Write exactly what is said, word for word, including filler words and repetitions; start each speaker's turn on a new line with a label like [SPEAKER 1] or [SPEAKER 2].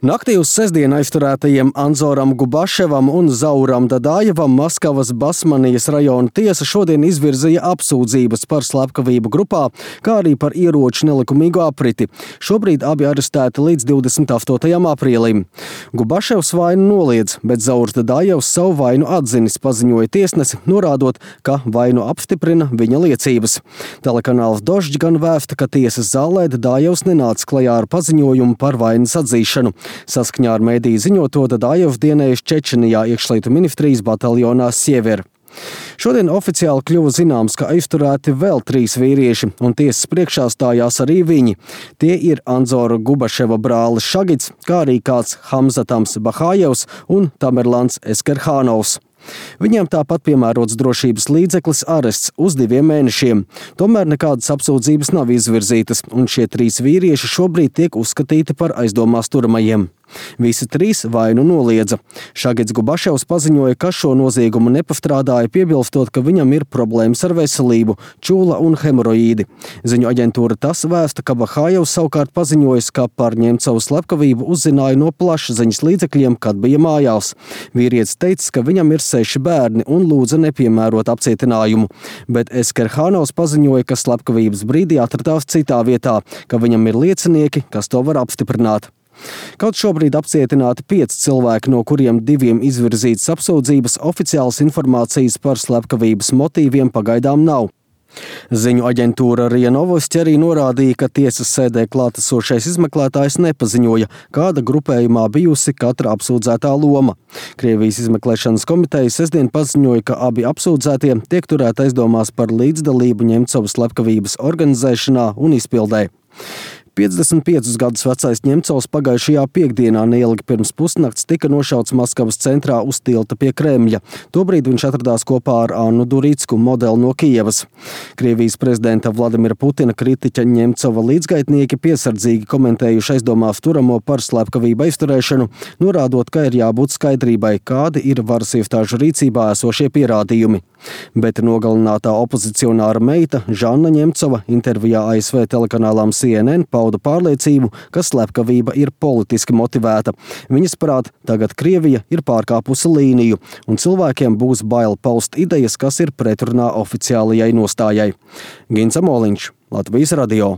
[SPEAKER 1] Naktī uz sestdienu aizturētajiem Anzoram Gubaševam un Zauram Dadajevam Maskavas Basmanijas rajona tiesa šodien izvirzīja apsūdzības par slepkavību grupā, kā arī par ieroču nelikumīgu apriti. Šobrīd abi arestēti līdz divdesmit astotajam aprīlim. Gubaševs vainu noliedz, bet Zaurs Dadajevs savu vainu atzinis, paziņoja tiesnesi, norādot, ka vainu apstiprina viņa liecības. Telekanāls Dožģ gan vēsta, ka tiesas zālē Dadajevs nenāca klajā ar paziņojumu par vainas atzīšanu. Saskaņā ar mediju ziņoto Dadajevs dienējuši Čečenijā iekšlietu ministrijas bataljonā Siever. Šodien oficiāli kļuva zināms, ka aizturēti vēl trīs vīrieši, un tiesas priekšā stājās arī viņi. Tie ir Anzora Gubaševa brālis Šagits, kā arī kāds Hamzatams Bahājevs un Tamerlans Eskerhānovs. Viņiem tāpat piemērots drošības līdzeklis arests uz diviem mēnešiem. Tomēr nekādas apsūdzības nav izvirzītas, un šie trīs vīrieši šobrīd tiek uzskatīti par aizdomās turamajiem. Visi trīs vainu noliedza. Šagits Gubaševs paziņoja, ka šo noziegumu nepastrādāja, piebilstot, ka viņam ir problēmas ar veselību, čūla un hemoroīdi. Ziņu aģentūra TASS vēsta, ka Bahājevs savukārt paziņojis, ka par Ņemcovu slepkavību uzzināja no plašsaziņas līdzekļiem, kad bija mājās. Vīrietis teicis, ka viņam ir seši bērni un lūdza nepiemērot apcietinājumu. Bet Eskerhānovs paziņoja, ka slepkavības brīdī atradās citā vietā, ka viņam ir liecinieki, kas to var apstiprināt. Kaut šobrīd apcietināti pieci cilvēki, no kuriem diviem izvirzītas apsūdzības, oficiālas informācijas par slepkavības motīviem pagaidām nav. Ziņu aģentūra RIA Novosti arī norādīja, ka tiesas sēdē klātesošais izmeklētājs nepaziņoja, kāda grupējumā bijusi katra apsūdzētā loma. Krievijas izmeklēšanas komiteja sestdien paziņoja, ka abi apsūdzētie tiek turēti aizdomās par līdzdalību Ņemcovas slepkavības organizēšanā un izpildē. piecdesmit piecus gadus vecais Ņemcovs pagājušajā piekdienā neilgi pirms pusnakts tika nošauts Maskavas centrā uz tilta pie Kremļa. Tobrīd viņš atradās kopā ar Annu Duricku, modeli no Kijevas. Krievijas prezidenta Vladimira Putina kritiķa Ņemcova līdzgaitnieki piesardzīgi komentējuši aizdomās turamo par slepkavību aizturēšanu, norādot, ka ir jābūt skaidrībai, kādi ir varas iestāžu rīcībā esošie pierādījumi. Bet nogalinātā opozicionāra meita Žanna Ņemcova intervijā A S V telekanālām C N N pauda pārliecību, ka slepkavība ir politiski motivēta. Viņas prāt, tagad Krievija ir pārkāpusi līniju, un cilvēkiem būs bail paust idejas, kas ir pretrunā oficiālajai nostājai. Gins Amoliņš, Latvijas radio.